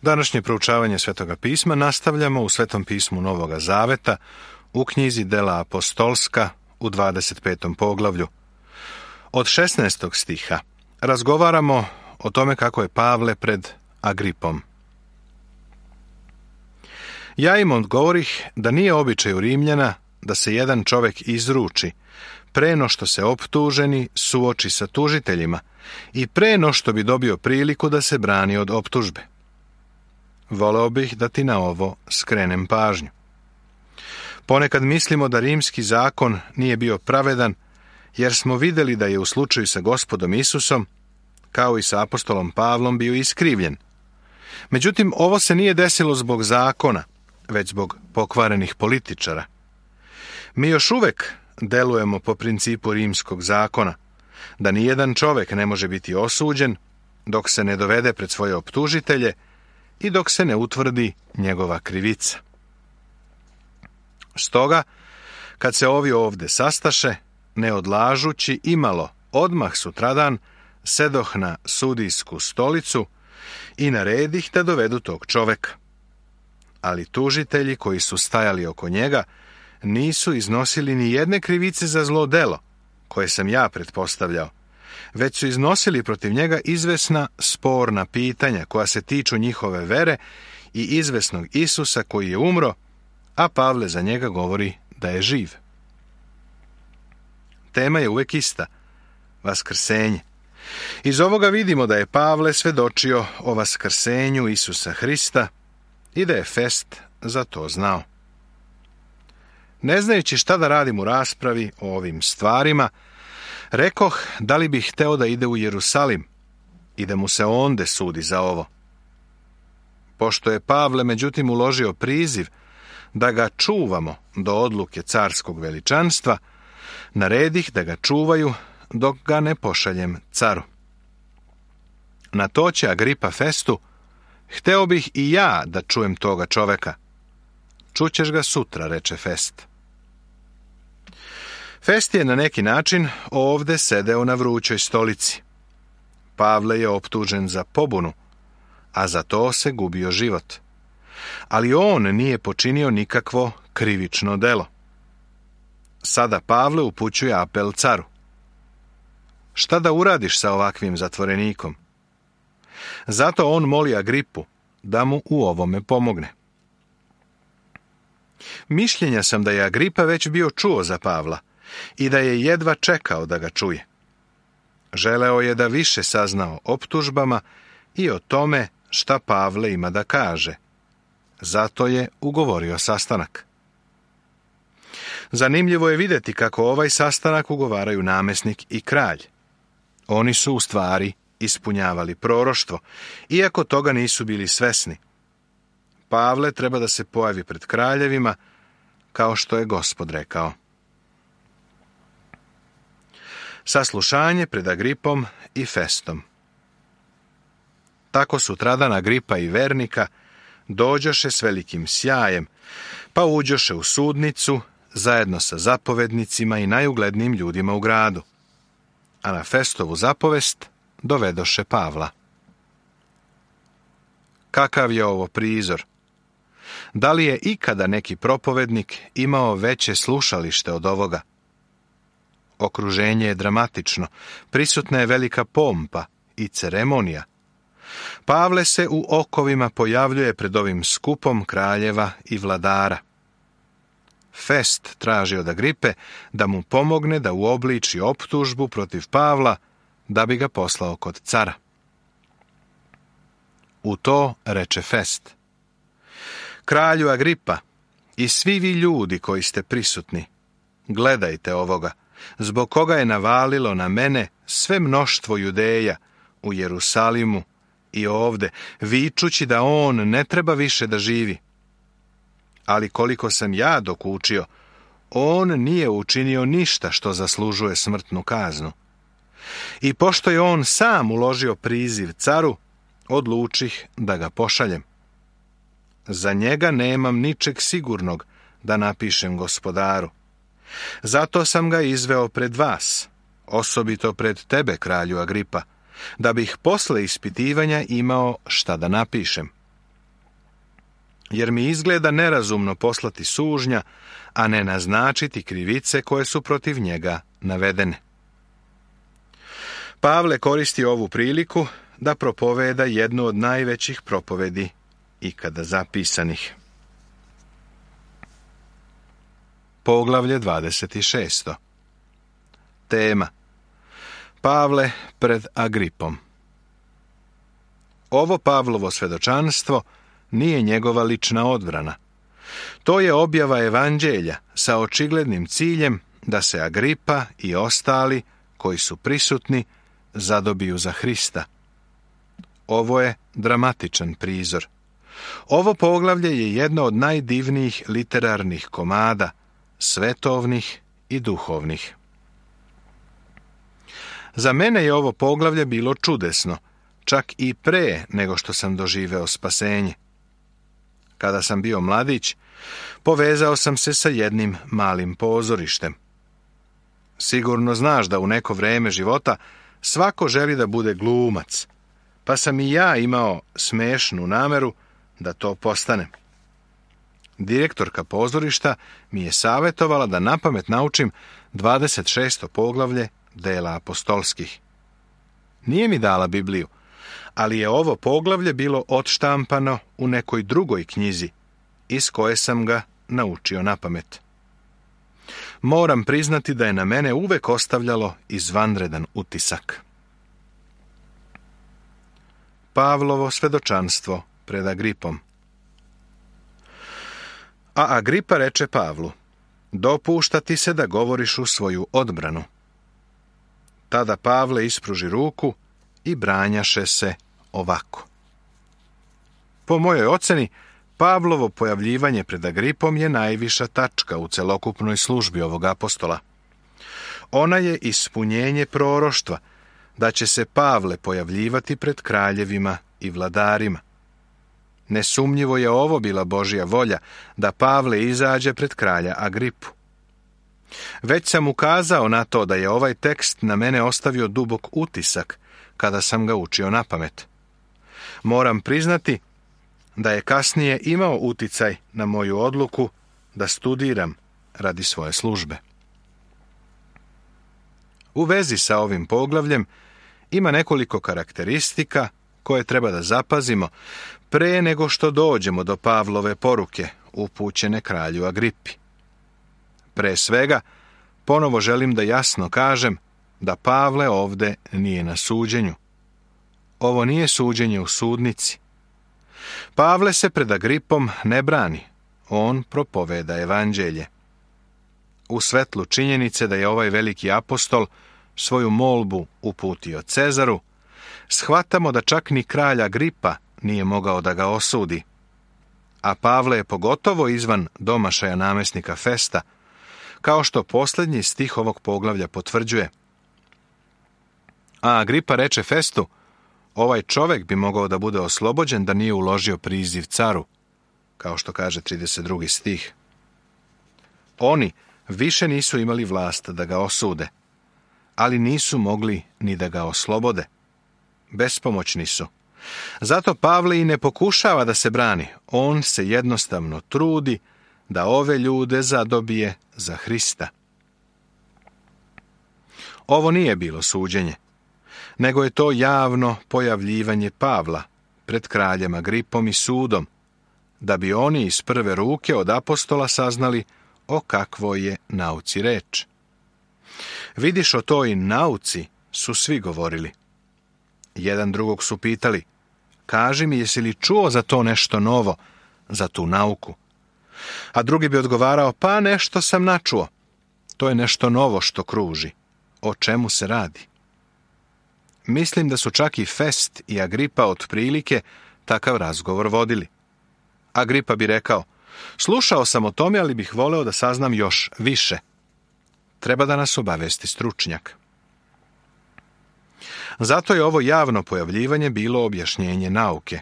Današnje proučavanje Svetoga pisma nastavljamo u Svetom pismu Novoga Zaveta u knjizi Dela apostolska u 25. poglavlju. Od 16. stiha razgovaramo o tome kako je Pavle pred Agripom. Ja im odgovorih da nije običaj u Rimljana da se jedan čovek izruči pre no što se optuženi suoči sa tužiteljima i pre no što bi dobio priliku da se brani od optužbe. Voleo bih da ti na ovo skrenem pažnju. Ponekad mislimo da rimski zakon nije bio pravedan, jer smo vidjeli da je u slučaju sa Gospodom Isusom, kao i sa apostolom Pavlom, bio iskrivljen. Međutim, ovo se nije desilo zbog zakona, već zbog pokvarenih političara. Mi još uvek delujemo po principu rimskog zakona, da nijedan čovek ne može biti osuđen dok se ne dovede pred svoje optužitelje i dok se ne utvrdi njegova krivica. Stoga, kad se ovi ovde sastaše, ne odlažući imalo, odmah sutradan sedoh na sudijsku stolicu i naredih da dovedu tog čoveka. Ali tužitelji koji su stajali oko njega nisu iznosili ni jedne krivice za zlo delo, koje sam ja pretpostavljao, već su iznosili protiv njega izvesna sporna pitanja koja se tiču njihove vere i izvesnog Isusa koji je umro, a Pavle za njega govori da je živ. Tema je uvek ista, vaskrsenje. Iz ovoga vidimo da je Pavle svedočio o vaskrsenju Isusa Hrista i da je Fest za to znao. Ne znajući šta da radim u raspravi o ovim stvarima, rekoh da li bih hteo da ide u Jerusalim i da mu se onde sudi za ovo. Pošto je Pavle međutim uložio priziv da ga čuvamo do odluke carskog veličanstva, naredih da ga čuvaju dok ga ne pošaljem caru. Na to će Agripa Festu: hteo bih i ja da čujem toga čoveka. Čućeš ga sutra, reče Fest. Fest je na neki način ovde sedeo na vrućoj stolici. Pavle je optužen za pobunu, a za to se gubio život. Ali on nije počinio nikakvo krivično delo. Sada Pavle upućuje apel caru. Šta da uradiš sa ovakvim zatvorenikom? Zato on moli Agripu da mu u ovome pomogne. Mišljenja sam da je Agripa već bio čuo za Pavla i da je jedva čekao da ga čuje. Želeo je da više sazna o optužbama i o tome šta Pavle ima da kaže. Zato je ugovorio sastanak. Zanimljivo je vidjeti kako ovaj sastanak ugovaraju namesnik i kralj. Oni su u stvari ispunjavali proroštvo, iako toga nisu bili svesni. Pavle treba da se pojavi pred kraljevima, kao što je Gospod rekao. Saslušanje pred Agripom i Festom. Tako sutradan Agripa i Vernika dođoše s velikim sjajem, pa uđoše u sudnicu zajedno sa zapovednicima i najuglednijim ljudima u gradu. A na Festovu zapovest dovedoše Pavla. Kakav je ovo prizor? Da li je ikada neki propovednik imao veće slušalište od ovoga? Okruženje je dramatično, prisutna je velika pompa i ceremonija. Pavle se u okovima pojavljuje pred ovim skupom kraljeva i vladara. Fest traži od Agripe da mu pomogne da uobliči optužbu protiv Pavla da bi ga poslao kod cara. U to reče Fest: kralju Agripa i svi vi ljudi koji ste prisutni, gledajte ovoga, zbog koga je navalilo na mene sve mnoštvo Judeja u Jerusalimu i ovde, vičući da on ne treba više da živi. Ali koliko sam ja dokučio, on nije učinio ništa što zaslužuje smrtnu kaznu. I pošto je on sam uložio priziv caru, odlučih da ga pošaljem. Za njega nemam ničeg sigurnog da napišem gospodaru. Zato sam ga izveo pred vas, osobito pred tebe, kralju Agripa, da bih posle ispitivanja imao šta da napišem. jer mi izgleda nerazumno poslati sužnja, a ne naznačiti krivice koje su protiv njega navedene. Pavle koristi ovu priliku da propoveda jednu od najvećih propovedi ikada zapisanih. Poglavlje 26. Tema: Pavle pred Agripom. Ovo Pavlovo svjedočanstvo nije njegova lična odbrana. To je objava evanđelja sa očiglednim ciljem da se Agripa i ostali koji su prisutni zadobiju za Hrista. Ovo je dramatičan prizor. Ovo poglavlje je jedno od najdivnijih literarnih komada, svetovnih i duhovnih. Za mene je ovo poglavlje bilo čudesno, čak i pre nego što sam doživeo spasenje. Kada sam bio mladić, povezao sam se sa jednim malim pozorištem. Sigurno znaš da u neko vrijeme života svako želi da bude glumac, pa sam i ja imao smešnu nameru da to postanem. Direktorka pozorišta mi je savjetovala da napamet naučim 26. poglavlje Dela apostolskih. Nije mi dala Bibliju, ali je ovo poglavlje bilo odštampano u nekoj drugoj knjizi, iz koje sam ga naučio napamet. Moram priznati da je na mene uvek ostavljalo izvanredan utisak. Pavlovo svjedočanstvo pred Agripom. A Agripa reče Pavlu: dopušta ti se da govoriš u svoju odbranu. Tada Pavle ispruži ruku i branjaše se ovako. Po mojoj oceni, Pavlovo pojavljivanje pred Agripom je najviša tačka u celokupnoj službi ovog apostola. Ona je ispunjenje proroštva da će se Pavle pojavljivati pred kraljevima i vladarima. Nesumnjivo je ovo bila Božja volja, da Pavle izađe pred kralja Agripu. Već sam ukazao na to da je ovaj tekst na mene ostavio dubok utisak kada sam ga učio napamet. Moram priznati da je kasnije imao uticaj na moju odluku da studiram radi svoje službe. U vezi sa ovim poglavljem ima nekoliko karakteristika koje treba da zapazimo pre nego što dođemo do Pavlove poruke upućene kralju Agripi. Pre svega, ponovo želim da jasno kažem da Pavle ovde nije na suđenju. Ovo nije suđenje u sudnici. Pavle se pred Agripom ne brani, on propoveda evanđelje. U svetlu činjenice da je ovaj veliki apostol svoju molbu uputio Cezaru, shvatamo da čak ni kralj Agripa nije mogao da ga osudi. A Pavle je pogotovo izvan domašaja namjesnika Festa, kao što posljednji stih ovog poglavlja potvrđuje. A Agripa reče Festu: ovaj čovjek bi mogao da bude oslobođen da nije uložio priziv caru, kao što kaže 32. stih. Oni više nisu imali vlast da ga osude, ali nisu mogli ni da ga oslobode. Bespomoćni su. Zato Pavle i ne pokušava da se brani, on se jednostavno trudi da ove ljude zadobije za Hrista. Ovo nije bilo suđenje, nego je to javno pojavljivanje Pavla pred kraljem Agripom i sudom, da bi oni iz prve ruke od apostola saznali o kakvoj je nauci reč. Vidiš, o toj nauci su svi govorili. Jedan drugog su pitali: kaži mi, jesi li čuo za to nešto novo, za tu nauku? A drugi bi odgovarao: pa nešto sam načuo. To je nešto novo što kruži. O čemu se radi? Mislim da su čak i Fest i Agripa otprilike takav razgovor vodili. Agripa bi rekao: slušao sam o tome, ali bih voleo da saznam još više. Treba da nas obavesti stručnjak. Zato je ovo javno pojavljivanje bilo objašnjenje nauke.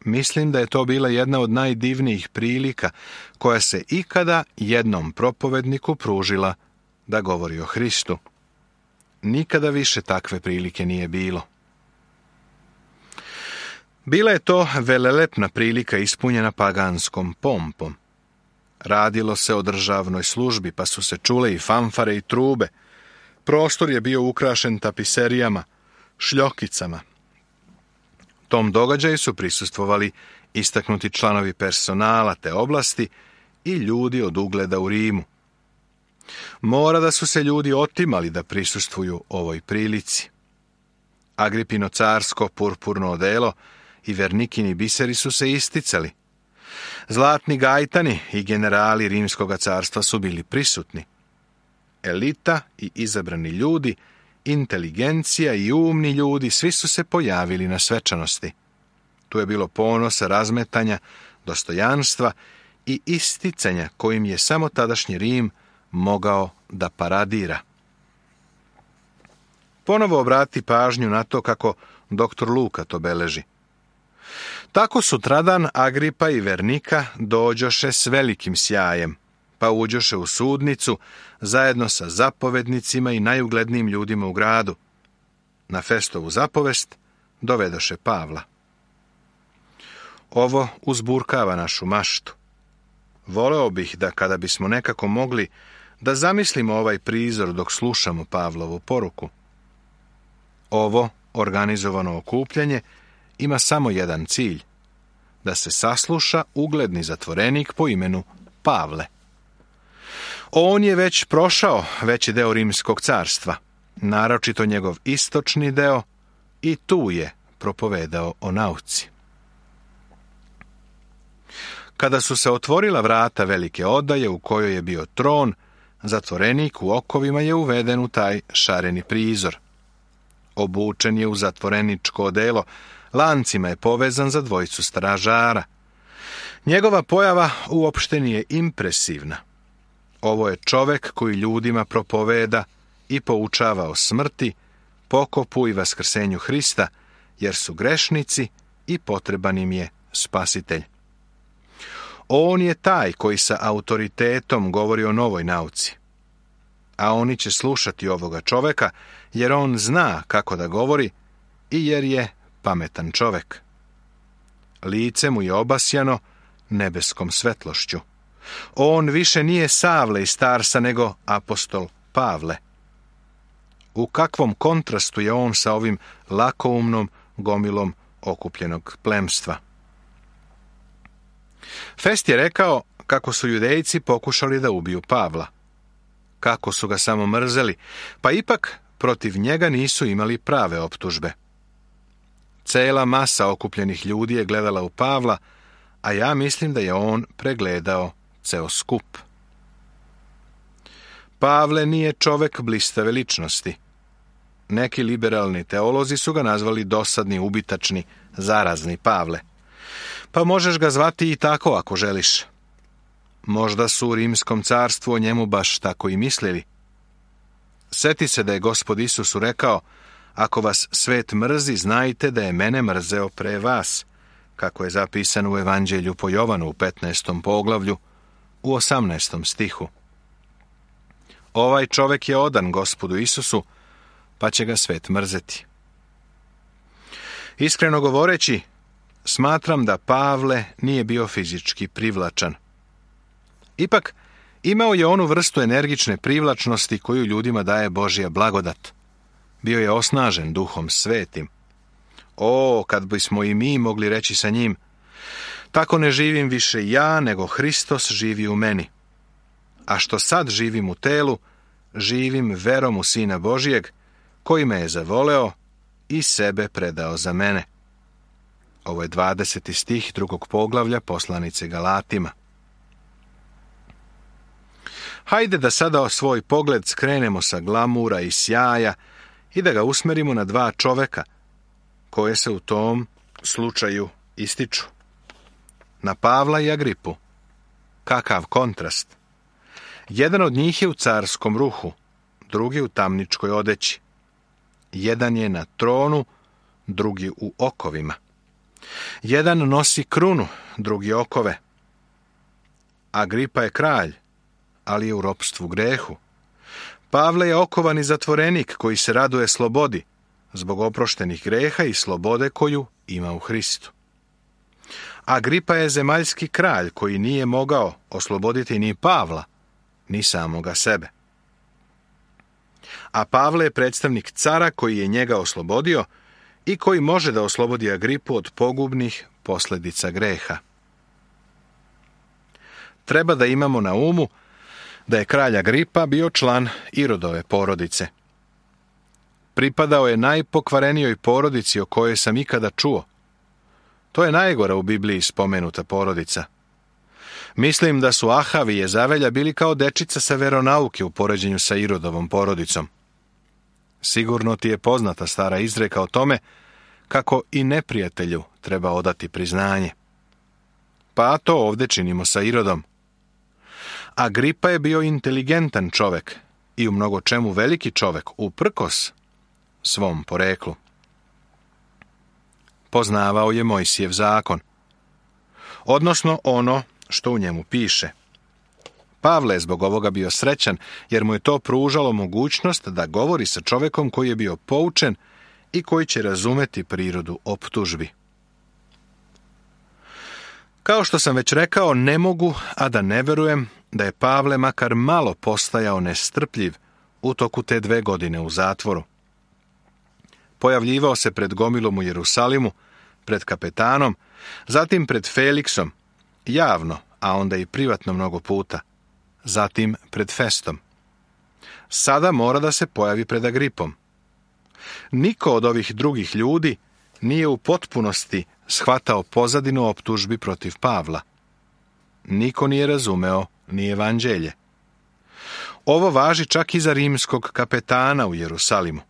Mislim da je to bila jedna od najdivnijih prilika koja se ikada jednom propovedniku pružila da govori o Hristu. Nikada više takve prilike nije bilo. Bila je to velelepna prilika ispunjena paganskom pompom. Radilo se o državnoj službi, pa su se čule i fanfare i trube. Prostor je bio ukrašen tapiserijama, šljokicama. Tom događaju su prisustvovali istaknuti članovi personala te oblasti i ljudi od ugleda u Rimu. Mora da su se ljudi otimali da prisustvuju ovoj prilici. Agripino carsko purpurno odelo i Vernikini biseri su se isticali. Zlatni gajtani i generali Rimskoga carstva su bili prisutni. Elita i izabrani ljudi, inteligencija i umni ljudi, svi su se pojavili na svečanosti. Tu je bilo ponosa, razmetanja, dostojanstva i isticanja kojim je samo tadašnji Rim mogao da paradira. Ponovo obrati pažnju na to kako dr. Luka to beleži. Tako sutradan Agripa i Vernika dođoše s velikim sjajem, pa uđoše u sudnicu zajedno sa zapovednicima i najuglednijim ljudima u gradu. Na Festovu zapovest dovedoše Pavla. Ovo uzburkava našu maštu. Voleo bih da kada bismo nekako mogli da zamislimo ovaj prizor dok slušamo Pavlovu poruku. Ovo organizovano okupljanje ima samo jedan cilj, da se sasluša ugledni zatvorenik po imenu Pavle. On je već prošao veći deo Rimskog carstva, naročito njegov istočni deo, i tu je propovedao o nauci. Kada su se otvorila vrata velike odaje u kojoj je bio tron, zatvorenik u okovima je uveden u taj šareni prizor. Obučen je u zatvoreničko odelo, lancima je povezan za dvojicu stražara. Njegova pojava uopšte nije impresivna. Ovo je čovek koji ljudima propoveda i poučava o smrti, pokopu i vaskrsenju Hrista, jer su grešnici i potreban im je spasitelj. On je taj koji sa autoritetom govori o novoj nauci. A oni će slušati ovoga čoveka, jer on zna kako da govori i jer je pametan čovek. Lice mu je obasjano nebeskom svetlošću. On više nije Savle iz Tarsa, nego apostol Pavle. U kakvom kontrastu je on sa ovim lakoumnom gomilom okupljenog plemstva. Fest je rekao kako su Judejci pokušali da ubiju Pavla. Kako su ga samo mrzeli, pa ipak protiv njega nisu imali prave optužbe. Cela masa okupljenih ljudi je gledala u Pavla, a ja mislim da je on pregledao ceo skup. Pavle nije čovek blistave ličnosti. Neki liberalni teolozi su ga nazvali dosadni, ubitačni, zarazni Pavle. Pa možeš ga zvati i tako ako želiš. Možda su u Rimskom carstvu o njemu baš tako i mislili. Seti se da je Gospod Isusu rekao: ako vas svet mrzi, znajte da je mene mrzeo pre vas, kako je zapisano u Evanđelju po Jovanu u 15. poglavlju, u 18. stihu. Ovaj čovek je odan Gospodu Isusu, pa će ga svet mrzeti. Iskreno govoreći, smatram da Pavle nije bio fizički privlačan. Ipak, imao je onu vrstu energične privlačnosti koju ljudima daje Božja blagodat. Bio je osnažen Duhom Svetim. O, kad bismo i mi mogli reći sa njim: tako ne živim više ja, nego Hristos živi u meni. A što sad živim u telu, živim verom u Sina Božijeg, koji me je zavoleo i sebe predao za mene. Ovo je 20. stih 2. poglavlja poslanice Galatima. Hajde da sada svoj pogled skrenemo sa glamura i sjaja i da ga usmerimo na dva čoveka koje se u tom slučaju ističu. Na Pavla i Agripu. Kakav kontrast! Jedan od njih je u carskom ruhu, drugi u tamničkoj odeći. Jedan je na tronu, drugi u okovima. Jedan nosi krunu, drugi okove. Agripa je kralj, ali je u ropstvu grehu. Pavle je okovani zatvorenik koji se raduje slobodi, zbog oproštenih greha i slobode koju ima u Hristu. Agripa je zemaljski kralj koji nije mogao osloboditi ni Pavla, ni samoga sebe. A Pavle je predstavnik cara koji je njega oslobodio i koji može da oslobodi Agripu od pogubnih posljedica greha. Treba da imamo na umu da je kralj Agripa bio član Irodove porodice. Pripadao je najpokvarenijoj porodici o kojoj sam ikada čuo. To je najgora u Bibliji spomenuta porodica. Mislim da su Ahav i Jezavelja bili kao dečica sa veronauke u poređenju sa Irodovom porodicom. Sigurno ti je poznata stara izreka o tome kako i neprijatelju treba odati priznanje. Pa to ovdje činimo sa Irodom. Agripa je bio inteligentan čovek i u mnogo čemu veliki čovek uprkos svom poreklu. Poznavao je Mojsijev zakon, odnosno ono što u njemu piše. Pavle je zbog ovoga bio srećan, jer mu je to pružalo mogućnost da govori sa čovekom koji je bio poučen i koji će razumeti prirodu optužbi. Kao što sam već rekao, ne mogu, a da ne verujem da je Pavle makar malo postajao nestrpljiv u toku te 2 godine u zatvoru. Pojavljivao se pred gomilom u Jerusalimu, pred kapetanom, zatim pred Feliksom, javno, a onda i privatno mnogo puta, zatim pred Festom. Sada mora da se pojavi pred Agripom. Niko od ovih drugih ljudi nije u potpunosti shvatao pozadinu optužbi protiv Pavla. Niko nije razumeo ni evanđelje. Ovo važi čak i za rimskog kapetana u Jerusalimu.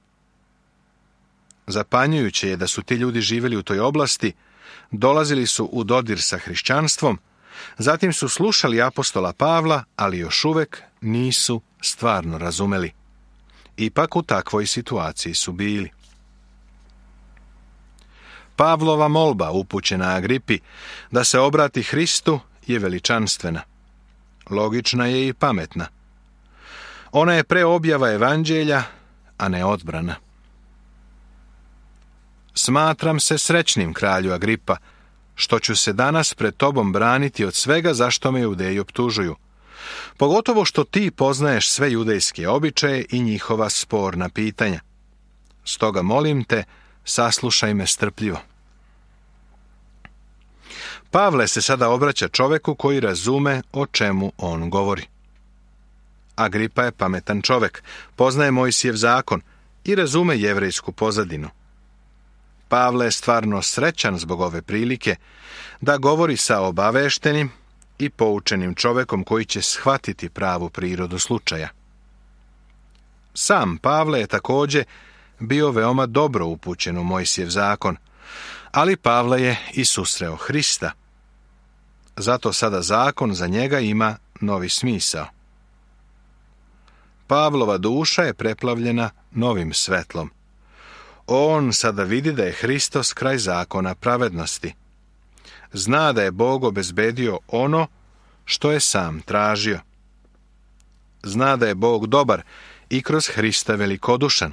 Zapanjujuće je da su ti ljudi živjeli u toj oblasti, dolazili su u dodir sa hrišćanstvom, zatim su slušali apostola Pavla, ali još uvek nisu stvarno razumeli. Ipak u takvoj situaciji su bili. Pavlova molba upućena Agripi da se obrati Hristu je veličanstvena. Logična je i pametna. Ona je preobjava evanđelja, a ne odbrana. Smatram se srećnim, kralju Agripa, što ću se danas pred tobom braniti od svega zašto me Judeji optužuju. Pogotovo što ti poznaješ sve judejske običaje i njihova sporna pitanja. Stoga molim te, saslušaj me strpljivo. Pavle se sada obraća čoveku koji razume o čemu on govori. Agripa je pametan čovek, poznaje Mojsijev zakon i razume jevrejsku pozadinu. Pavle je stvarno srećan zbog ove prilike da govori sa obaveštenim i poučenim čovekom koji će shvatiti pravu prirodu slučaja. Sam Pavle je također bio veoma dobro upućen u Mojsijev zakon, ali Pavle je i susreo Hrista. Zato sada zakon za njega ima novi smisao. Pavlova duša je preplavljena novim svetlom. On sada vidi da je Hristos kraj zakona pravednosti. Zna da je Bog obezbedio ono što je sam tražio. Zna da je Bog dobar i kroz Hrista velikodušan.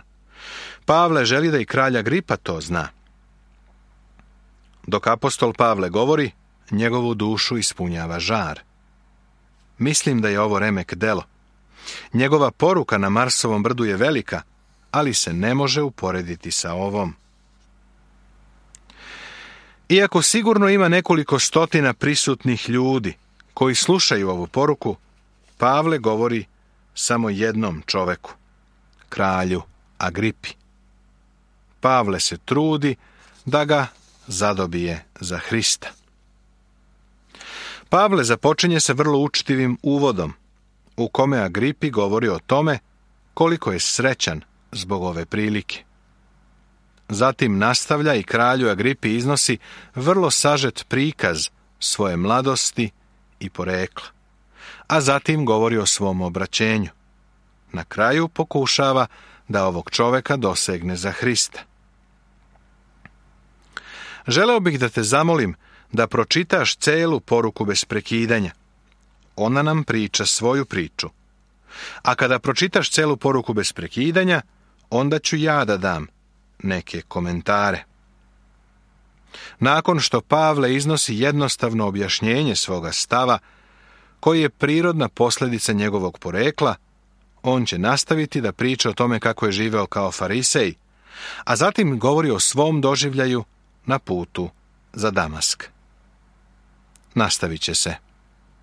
Pavle želi da i kralj Agripa to zna. Dok apostol Pavle govori, njegovu dušu ispunjava žar. Mislim da je ovo remek delo. Njegova poruka na Marsovom brdu je velika, ali se ne može uporediti sa ovom. Iako sigurno ima nekoliko stotina prisutnih ljudi koji slušaju ovu poruku, Pavle govori samo jednom čoveku, kralju Agripi. Pavle se trudi da ga zadobije za Hrista. Pavle započinje sa vrlo učtivim uvodom, u kome Agripi govori o tome koliko je srećan zbog ove prilike. Zatim nastavlja i kralju Agripi iznosi vrlo sažet prikaz svoje mladosti i porekla, a zatim govori o svom obraćenju. Na kraju pokušava da ovog čoveka dosegne za Hrista. Želeo bih da te zamolim da pročitaš celu poruku bez prekidanja. Ona nam priča svoju priču. A kada pročitaš celu poruku bez prekidanja, onda ću ja da dam neke komentare. Nakon što Pavle iznosi jednostavno objašnjenje svoga stava, koji je prirodna posljedica njegovog porekla, on će nastaviti da priča o tome kako je živeo kao farisej, a zatim govori o svom doživljaju na putu za Damask. Nastavit će se.